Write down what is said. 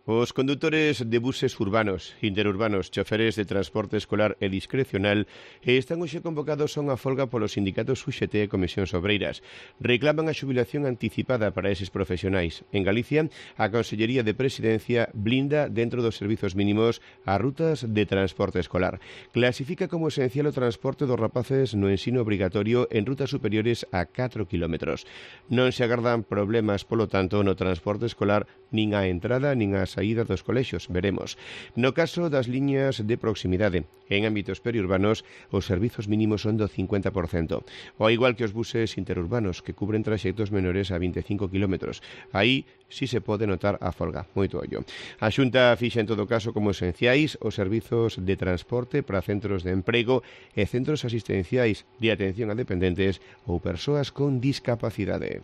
Os condutores de buses urbanos, interurbanos, choferes de transporte escolar e discrecional están hoxe convocados a unha folga polos sindicatos UGT e Comisións Obreiras. Reclaman a xubilación anticipada para eses profesionais. En Galicia, a Consellería de Presidencia blinda dentro dos servizos mínimos as rutas de transporte escolar. Clasifica como esencial o transporte dos rapaces no ensino obrigatorio en rutas superiores a 4 km. Non se agardan problemas, polo tanto, no transporte escolar nin á entrada nin á saída dos colexios, veremos. No caso das liñas de proximidade, en ámbitos periurbanos, os servizos mínimos son do 50%, ao igual que os buses interurbanos, que cubren traxectos menores a 25 km. Aí sí se pode notar a folga, moito ollo. A Xunta fixa en todo caso como esenciais os servizos de transporte para centros de emprego e centros asistenciais de atención a dependentes ou persoas con discapacidade.